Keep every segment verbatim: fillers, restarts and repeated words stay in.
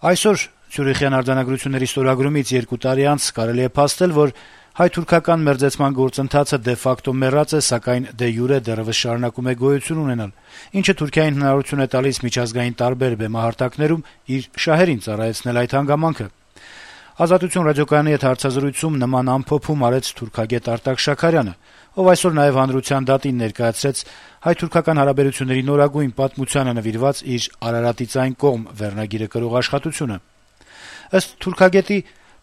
Այսօր Ցյուրիխյան արձանագրությունների ստորագրումից երկու տարի անց կարելի է փաստել, որ հայ-թուրքական մերձեցման գործընթացը դե ֆակտո մեռած է, սակայն դե յուրե դեռեւս շարունակում է գոյություն ունենալ, ինչը Թուրքիային հնարավորություն է տալիս միջազգային տարբեր բեմահարտակներում իր շահերին ծառայեցնել այդ հանգամանքը։ Ազատություն ռադիոկայանի հետ հարցազրույցում նման ամփոփում արեց թուրքագետ Արտակ Շաքարյանը, ով այսօր նաեւ հանրության դատին ներկայացրեց հայ-թուրքական հարաբերությունների նորագույն պատմությանը նվիրված իր «Արարատից այն կողմ» վերնագիրը կրող աշխատությունը։ Ըստ թուրքագետի,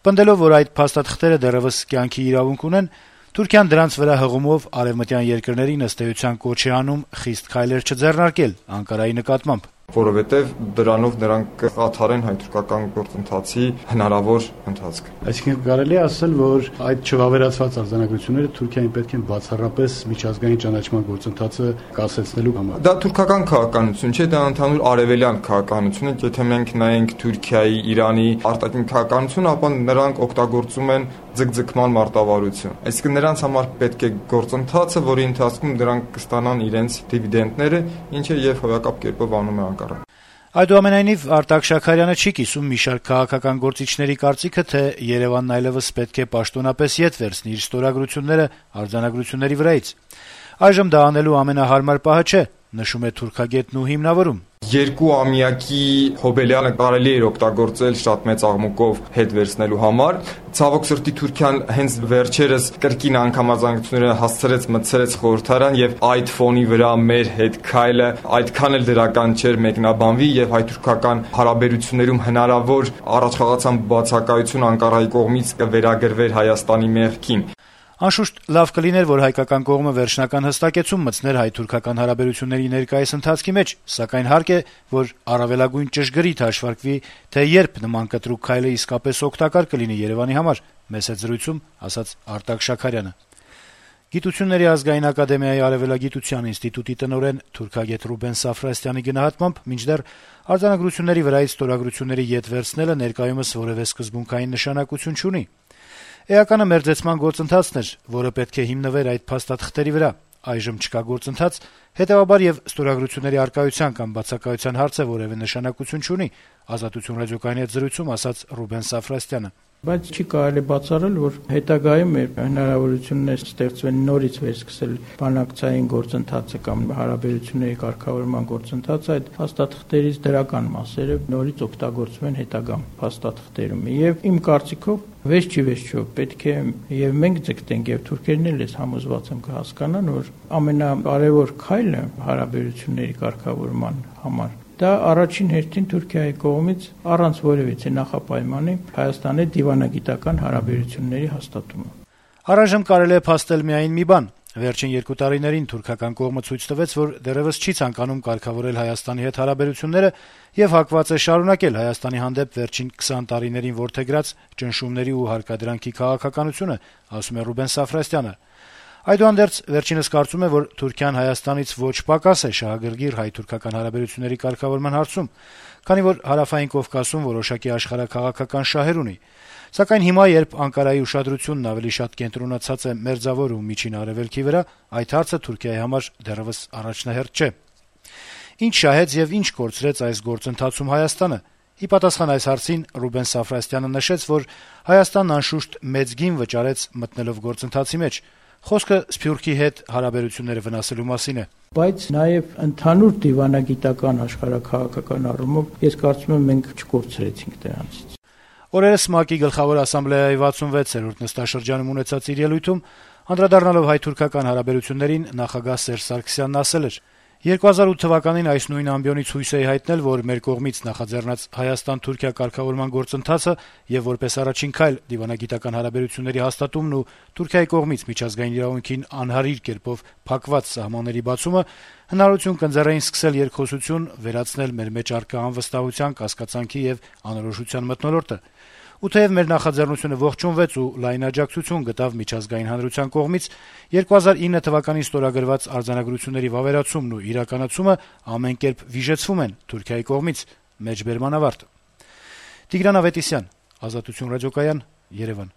պնդելով, որ այդ փաստաթղթերը դեռեւս կյանքի իրավունք ունեն, Թուրքիան դրանց վրա հղումով արեւմտյան երկրներին ըստ էության կոչ է անում խիստ քայլեր չձեռնարկել Անկարայի նկատմամբ, որովհետեւ դրանով նրանք կխաթարեն հայ-թուրքական գործընթացի հնարավոր ընթացքը։ Այսինքն կարելի է ասել, որ այդ չվավերացված արձանագրությունները Թուրքիային պետք են բացառապես միջազգային ճանաչման գործընթացը կասեցնելու համար։ Դա թուրքական քաղաքականություն չէ, դա ընդհանուր արևելյան քաղաքականություն է։ Եթե մենք նայենք Թուրքիայի, Իրանի արտաքին քաղաքականությունը, ապա նրանք օգտագործում են ձգձգման մարտավարություն։ Այսինքն նրանց համար պետք է գործընթացը, որի ընթացքում նրանք կստանան իրենց դիվիդենդները, ինչը եւ հոյակապ կերպով անում է Անկարան։ Այդուամենայնիվ Արտակ Շաքարյանը չի կիսում մի շարք քաղաքական գործիչների կարծիքը, թե Երևանն այլեւս պետք է պաշտոնապես ետ վերցնի իր ստորագրությունները արձանագրությունների վրայից։ Այժմ դա անելու ամենահարմար պահը չէ, նշում է թուրքագետն ու հիմնավորում։ Երկու ամյակի հոբելյանը կարելի էր օգտագործել շատ մեծ աղմուկով հետ վերցնելու համար։ Ցավոք սրտի Թուրքիան հենց վերջերս կրկին անգամազանգությունները հասցրեց մտցրեց խորհրդարան եւ այդ ֆոնի վրա մեր հետ քայլը այդքան էլ դրական չէր մեկնաբանվի եւ հայ-թուրքական հարաբերություններում հնարավոր առաջխաղացան բացակայություն Անկարայի կողմից կվերագրվեր Հայաստանի մեղքին։ Անշուշտ լավ կլիներ, որ հայկական կողմը վերջնական հստակեցում մտցներ հայ-թուրքական հարաբերությունների ներկայիս ընթացքի մեջ, սակայն հարկ է, որ առավելագույն ճշգրիտ հաշվարկվի, թե երբ նման կտրուկ քայլը իսկապես օգտակար կլինի Երևանի համար, մեծ հետ զրույցում ասաց Արտակ Շաքարյանը։ Գիտությունների ազգային ակադեմիայի արևելագիտության ինստիտուտի տնօրեն թուրքագետ Ռուբեն Սաֆրաստյանի գնահատմամբ, մինչդեռ արձանագրությունների վրայից ստորագրությունների ետ վերցնելը ներկայումս որևէ սկզբունքային նշանակություն չունի։ Էականը մերձեցման գործընթացն էր, որը պետք է հիմնվեր այդ փաստաթղթերի վրա։ Այժմ չկա գործընթաց, հետեւաբար եւ ստորագրությունների արկայության կամ բացակայության հարցը որևէ նշանակություն չունի, Ազատություն ռադիոկայանի հետ զրույցում ասաց Ռուբեն Սաֆրաստյանը։ Բայց չի կարելի բացառել, որ հետագայում մեր հնարավորություններ ստեղծվեն նորից վերսկսել բանակցային գործընթացը կամ հարաբերությունների կարգավորման գործընթացը, այդ փաստաթղթերից դրական մասերը նորից օգտագործվեն հետագա փաստաթղթերում։ Եվ իմ կարծիքով Վերջի վերջո պետք է եւ մենք ձգտենք եւ թուրքերն էլ ես համոզված եմ կհասկանան, որ ամենակարևոր քայլը հարաբերությունների կարգավորման համար դա առաջին հերթին Թուրքիայի կողմից առանց որևիցե նախապայմանի Հայաստանի դիվանագիտական հարաբերությունների հաստատումը։ Առայժմ կարելի է փաստել միայն մի բան. վերջին երկու տարիներին թուրքական կողմը ցույց տվեց, որ դեռևս չի ցանկանում կարգավորել Հայաստանի հետ հարաբերությունները եւ հակված է շարունակել Հայաստանի հանդեպ վերջին քսան տարիներին որդեգրած ճնշումների ու հարկադրանքի քաղաքականությունը, ասում է Ռուբեն Սաֆրաստյանը։ Այդուհանդերձ վերջինս կարծում է, որ Թուրքիան Հայաստանից ոչ պակաս է շահագրգիռ հայ-թուրքական հարաբերությունների կարգավորման հարցում, քանի որ Հարավային Կովկասում որոշակի աշխարհաքաղաքական շահեր ունի։ Սակայն հիմա, երբ Անկարայի ուշադրությունն ավելի շատ կենտրոնացած է Մերձավոր ու Միջին Արևելքի վրա, այդ հարցը Թուրքիայի համար դեռևս առաջնահերթ չէ։ Ինչ շահեց եւ ինչ կորցրեց այս գործընթացում Հայաստանը։ Ի պատասխան այս հարցին Ռուբեն Սաֆրաստյանը նշեց, որ Հայաստանն անշուշտ մեծ գին վճարեց մտնելով գործընթացի մեջ։ Խոսքը Սփյուռքի հետ հարաբերությունները վնասելու մասին է։ Բայց նաև ընդհանուր դիվանագիտական աշխարհաքաղաքական առումով ես կարծում եմ մենք չկորցրեցինք դրանից։ Օրերս ՄԱԿ-ի գլխավոր ասամբլեայի վաթսունվեցերորդ նստաշրջանում ունեցած իր ելույթում անդրադառնալով հայ-թուրքական հարաբերություններին նախագահ Սերժ Սարգսյանն ասել էր. երկու հազար ութ թվականին այս նույն ամբիոնից հույս էի հայտնել, որ մեր կողմից նախաձեռնած Հայաստան-Թուրքիա կարգավորման գործընթացը եւ որպես առաջին քայլ դիվանագիտական հարաբերությունների հաստատումն ու Թուրքիայի կողմից միջազգային իրավունքին անհարիր կերպով փակված սահմանների բացումը հնարավորություն կընձեռեին սկսել երկխոսություն, վերացնել մեր մեջ առկա անվստահության, կասկածանքի եւ անորոշության մթնոլորտը։ Ու թեև մեր նախաձեռնությունը ողջունվեց ու լայն աջակցություն գտավ միջազգային հանրության կողմից, երկու հազար ինը թվականին ստորագրված արձանագրությունների վավերացումն ու իրականացումը ամեն կերպ վիժեցվում են Թուրքիայի կողմից, մեջբերման ավարտ։ Տիգրան Ավետիսյան, Ազատություն ռադիոկայան, Երևան։